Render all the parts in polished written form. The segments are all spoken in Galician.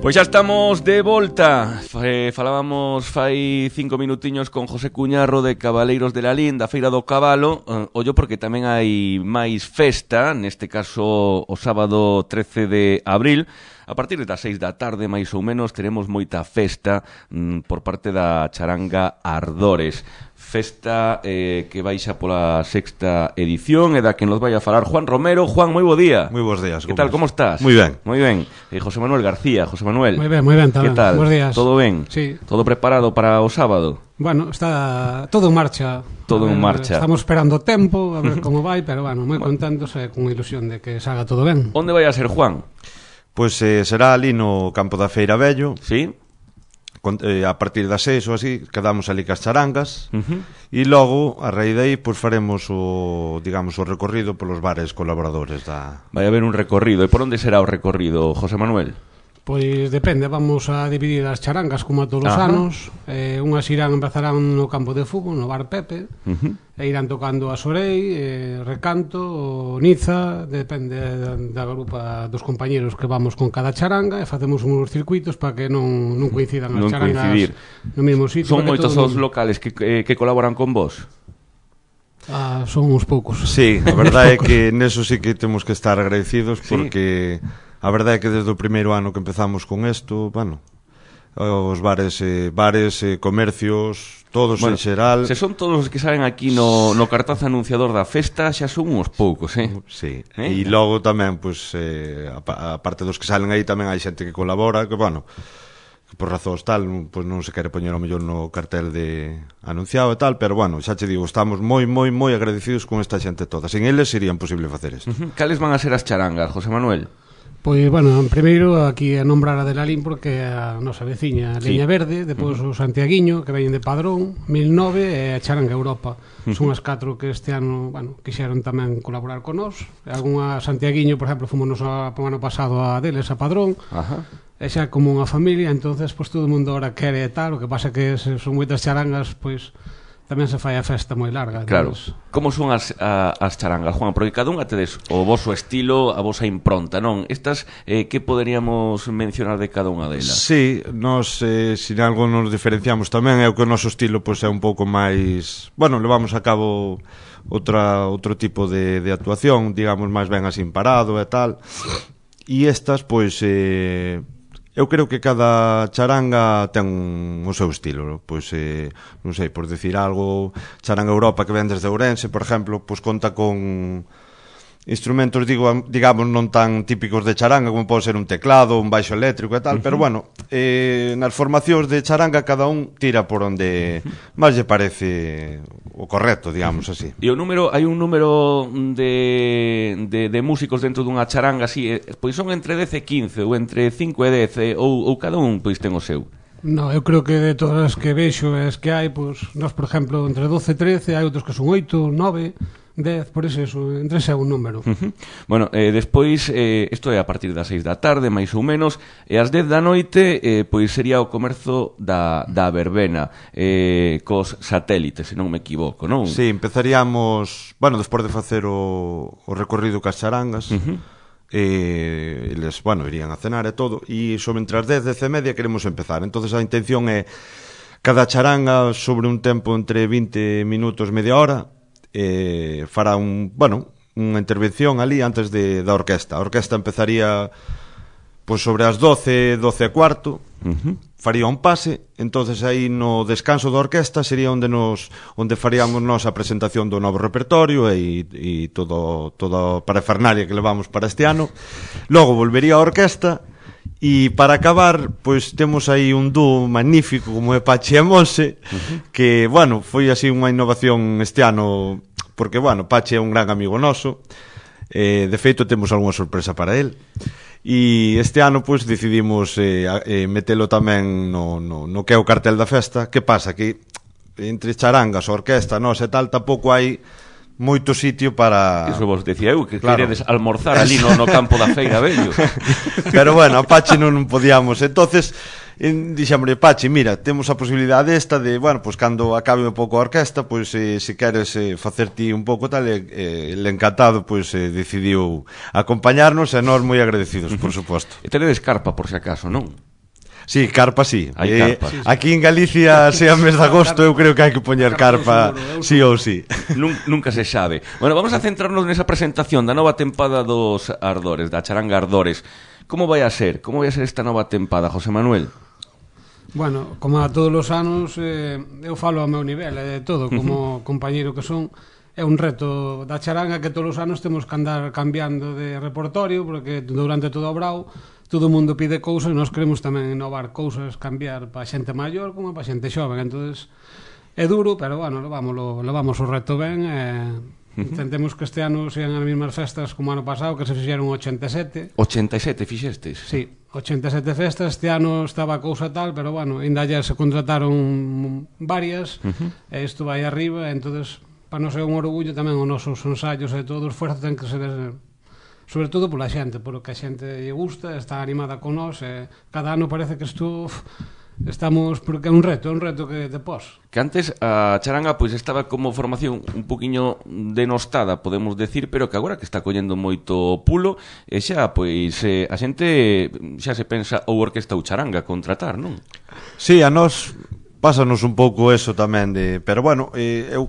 Pois xa estamos de volta. Falábamos fai 5 minutiños con José Cuñarro de Cabaleiros de Lalín, da Feira do Cabalo. Ollo porque tamén hai máis festa, neste caso o sábado 13 de abril. A partir das 6 da tarde, máis ou menos, teremos moita festa por parte da charanga Ardores. Festa que baixa pola sexta edición e da que nos vai a falar Juan Romero. Juan, moi bo día. Moi bons días. Que tal, como estás? Moi ben. Moi ben. José Manuel García, José Manuel. Moi ben, tamén. Que tal? Bos días. Todo ben? Sí. Todo preparado para o sábado? Bueno, está todo en marcha. Todo en marcha. Estamos esperando o tempo, a ver como vai, pero bueno, moi contentos e con ilusión de que salga todo ben. Onde vai a ser, Juan? Pois será ali no campo da Feira Vello. Sí. A partir das 6 ou así quedamos ali cas charangas e logo a raíz de aí pois faremos o recorrido polos bares colaboradores da... Vai haber un recorrido. E por onde será o recorrido, José Manuel? Pois depende, vamos a dividir as charangas como a todos os anos. Unhas empezarán no campo de fútbol, no bar Pepe, e irán tocando a Sorei, Recanto, Niza, depende da grupa dos compañeros que vamos con cada charanga, e facemos uns circuitos para que non coincidan as charangas no mesmo sitio. Son moitos os locales que colaboran con vos? Son uns poucos. Sí, a verdade é que neso sí que temos que estar agradecidos porque... A verdade é que desde o primeiro ano que empezamos con isto, bueno, os bares, comercios, todos en xeral... Se son todos os que saben aquí no cartaz anunciador da festa, xa son uns poucos, Sí, e logo tamén, pois, a parte dos que salen aí tamén hai xente que colabora, que, bueno, que por razóns tal, pois non se quere poñer ao mellor no cartel de anunciado e tal, pero, bueno, xa che digo, estamos moi agradecidos con esta xente toda. Sin eles sería imposible facer isto. Cales van a ser as charangas, José Manuel? Pois, bueno, primeiro aquí a nombrar a de Lalín porque a nosa veciña Leña Verde, depois o Santiaguiño que veñen de Padrón, 1009 e a Charanga Europa. Son as 4 que este ano, bueno, quixeron tamén colaborar con nós. Algúnha Santiaguiño, por exemplo, fomos o ano pasado a deles a Padrón. E xa como unha familia, entonces pois todo o mundo ahora quere tal, o que pasa que son moitas charangas, pois tamén se fai a festa moi larga. Claro. Como son as charangas, Juan? Porque cada unha tedes o voso estilo, a vosa impronta, non? Estas, que poderíamos mencionar de cada unha delas? Sí, nos, sin algo nos diferenciamos tamén, é o que o noso estilo pois é un pouco máis... Bueno, levamos a cabo outro tipo de actuación, digamos, máis ben así parado e tal. E estas, pois... Eu creo que cada charanga ten o seu estilo, pois, non sei, por decir algo, Charanga Europa que ven desde Ourense, por exemplo, pois conta con instrumentos, digamos, non tan típicos de charanga como pode ser un teclado, un baixo eléctrico e tal, pero bueno, nas formacións de charanga cada un tira por onde máis lle parece o correcto, digamos así. E o número, hai un número de músicos dentro dunha charanga así, pois son entre 10 e 15 ou entre 5 e 10 ou cada un pois ten o seu? No, eu creo que de todas as que vexo e as que hai, pois, nós, por exemplo, entre 12 e 13, hai outros que son 8, 9... 10, por eso, entre ese é un número. Bueno, despois, isto é a partir das 6 da tarde, máis ou menos, e ás 10 da noite, pois sería o comerzo da verbena, cos satélites, se non me equivoco, non? Sí, empezaríamos, bueno, despois de facer o recorrido cas charangas, eles, bueno, irían a cenar e todo, e sobre entre as 10 e media queremos empezar. Entonces a intención é cada charanga sobre un tempo entre 20 minutos, media hora, fará unha intervención ali antes da orquesta. A orquesta empezaría pois sobre as 12 e cuarto, faría un pase, entonces aí no descanso da orquesta sería onde faríamos nós a presentación do novo repertorio e toda a parafernalia que levamos para este ano. Logo volvería a orquesta e para acabar, pois temos aí un dúo magnífico como é Pachi e Monse, que, bueno, foi así unha innovación este ano, porque, bueno, Pachi é un gran amigo noso, de feito temos algunha sorpresa para él, e este ano, pois, decidimos metelo tamén no que é o cartel da festa. Que pasa? Que entre charangas, orquesta, nós e tal, tampouco hai moito sitio para... Iso vos decía eu, que queredes almorzar ali no campo da Feira Vello. Pero bueno, a Pachi non podíamos. Entonces, dixémosle, Pachi, mira, temos a posibilidade esta de, bueno, pois cando acabe un pouco a orquesta, pois se queres facer ti un pouco tal, el encantado, pois decidiu acompañarnos e nós moi agradecidos, por suposto. E tenedes carpa, por se acaso, non? Sí, carpa sí. Hai carpa. Aquí en Galicia, sea mes de agosto, eu creo que hai que poñer carpa sí ou sí. Nunca se sabe. Bueno, vamos a centrarnos nesa presentación da nova tempada dos Ardores, da charanga Ardores. Como vai a ser? Como vai a ser esta nova tempada, José Manuel? Bueno, como a todos os anos, eu falo ao meu nivel, de todo, como compañeiro que son. É un reto da charanga que todos os anos temos que andar cambiando de repertorio, porque durante todo o brao todo o mundo pide cousas e nós queremos tamén innovar cousas, cambiar para xente maior como para xente xoven. Entonces é duro, pero bueno, levamos o reto ben. Intentemos que este ano sean as mesmas festas como ano pasado, que se fixeron 87. 87 fixestes? Sí, 87 festas. Este ano estaba a cousa tal, pero bueno, ainda ya se contrataron varias, e isto vai arriba, entonces para non ser un orgullo tamén os nosos ensaios e todo o esforzo ten que ser sobre todo pola xente, porque a xente lle gusta, está animada con nós, e cada ano parece que estamos, porque é un reto que te pos. Que antes a charanga pois estaba como formación un poquinho denostada, podemos decir, pero que agora que está collendo moito pulo, e xa pois a xente xa se pensa ou orquesta ou charanga contratar, non? Sí, a nós pásanos un pouco eso tamén pero bueno, eu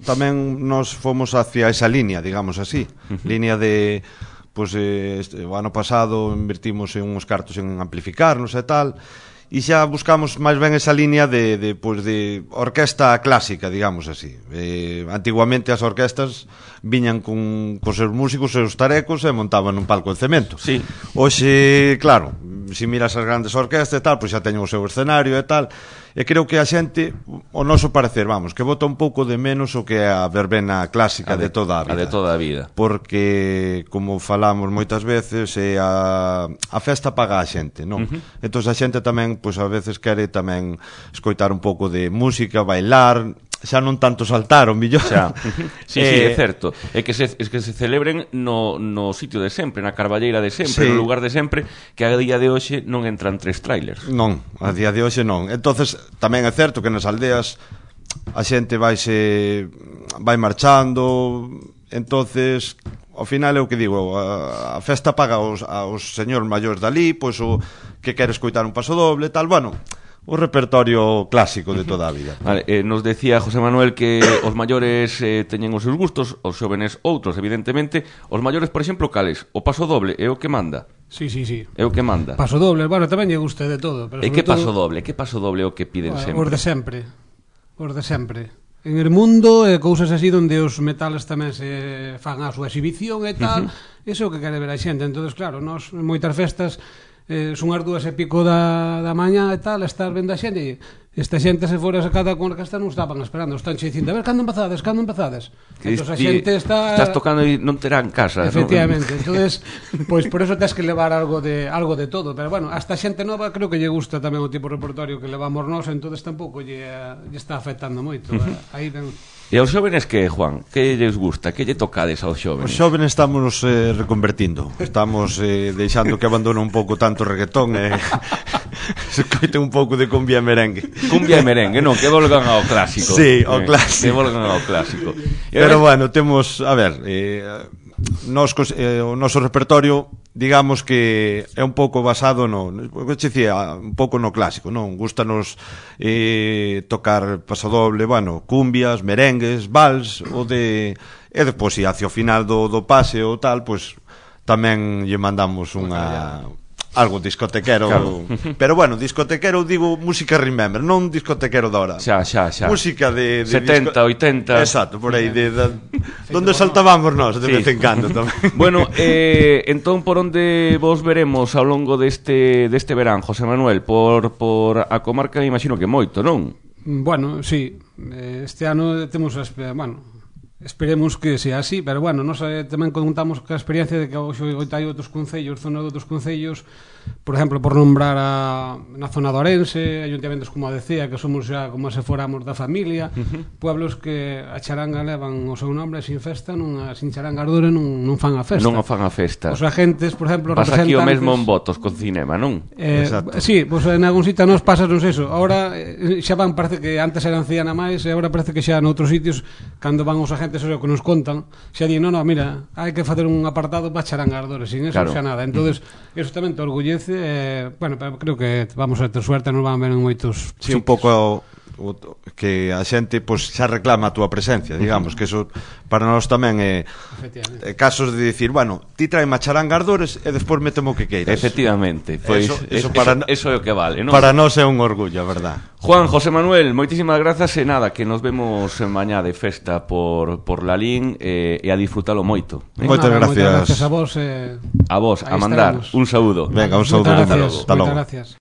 tamén nos fomos hacia esa línea, digamos así, línea de pois o ano pasado invertimos en uns cartos en amplificarnos e tal, e xa buscamos máis ben esa línea de orquesta clásica, digamos así. Antiguamente as orquestas viñan con seus músicos, seus tarecos e montaban un palco de cemento. Sí. Hoxe, claro, se miras as grandes orquestas e tal, pois xa teñen o seu escenario e tal. E creo que a xente, o noso parecer, vamos, que bota un pouco de menos o que é a verbena clásica de toda a vida. A de toda a vida. Porque, como falamos moitas veces, a festa paga a xente, non? Entón a xente tamén, pois a veces quere tamén escoitar un pouco de música, bailar, xa non tanto saltar, o millor. Xa. Sí, é certo. É que se celebren no sitio de sempre, na carballeira de sempre, no lugar de sempre, que a día de hoxe non entran 3 trailers. Non, a día de hoxe non. Entonces tamén é certo que nas aldeas a xente vai marchando, entonces ao final é o que digo, a festa paga aos señores maiores dali, pois o que quere escoitar un paso doble, tal, bueno, o repertorio clásico de toda a vida. Vale, nos decía José Manuel que os maiores teñen os seus gustos, os xóvenes outros, evidentemente. Os maiores, por exemplo, cales? O paso doble é o que manda? Sí. É o que manda. Paso doble, bueno, tamén lle gusta de todo, pero e que paso doble? Que paso doble é o que piden sempre? Os de sempre. En el mundo, cousas así onde os metales tamén se fan a súa exhibición e tal, iso é o que quere ver a xente. Entonces, claro, nós en moitas festas son as 2:00 da mañá e tal, estar vendo a xente, esta xente se fora sacada con orquesta non estaban esperando, están dicindo, a ver, cando empezades? Entón a xente estás tocando e non terán casa. Efectivamente, ¿no? Entonces, pois por eso tens que levar algo de todo, pero bueno, hasta xente nova creo que lle gusta tamén o tipo de repertorio que levamos nós, entonces tampouco lle está afectando moito. Aí ben. E aos xóvenes que, Juan? Que lles gusta? Que lle tocades aos xóvenes? Os xóvenes estamos reconvertindo. Estamos deixando que abandone un pouco tanto o reggaetón e se coite un pouco de cumbia e merengue. Cumbia e merengue, non, que volgan ao clásico. Sí, ao clásico. Que volgan ao clásico. Pero bueno, temos, a ver, o noso repertorio, digamos que é un pouco basado un pouco no clásico, non? Gústanos tocar pasodoble, bueno, cumbias, merengues, vals, e depois, hacia o final do pase ou tal, pois tamén lle mandamos algo discotequero, claro. Pero bueno, discotequero digo música remember, non discotequero de ahora. Xa. Música de 70, 80. Exacto, por aí donde saltábamos nós de vez en cando tamén. Bueno, entón por onde vos veremos ao longo deste verán, José Manuel? Por a comarca, imagino que moito, non? Bueno, sí. Este ano temos esperemos que sea así, pero bueno, nós tamén contamos que a experiencia de que hoxe hai outros concellos, zona de outros concellos, por exemplo, por nombrar na zona de Ourense, ayuntamentos como a decía, que somos xa como se foramos da familia, pueblos que a charanga levan o seu nombre sin festa, sin charanga ardore non fan a festa. Non fan a festa. Os agentes, por exemplo, pasa aquí o mesmo en votos con cinema, non? Sí, pues en algún sitio nos pasanos eso. Ahora xa van, parece que antes eran 100 a máis, e agora parece que xa noutros sitios, cando van os agentes o que nos contan, xa di, no, mira, hai que facer un apartado para charanga ardore, sin eso xa nada. Entonces, eso tamén te orgullece parece, bueno, creo que vamos a ter suerte, non van ver en moitos sí, un pouco que a xente pois xa reclama a túa presencia, digamos, que eso para nós tamén é casos de dicir, bueno, ti trae a charanga ardores e despois metemo o que queiras. Efectivamente, pois eso é o que vale, non? Para nós é un orgullo, a verdad. Juan, José Manuel, moitísimas grazas e nada, que nos vemos mañá de festa por Lalín e a disfrutalo moito. Moitas gracias. Moitas gracias a vos. A vos, a mandar un saúdo. Venga, un saúdo. Moitas gracias.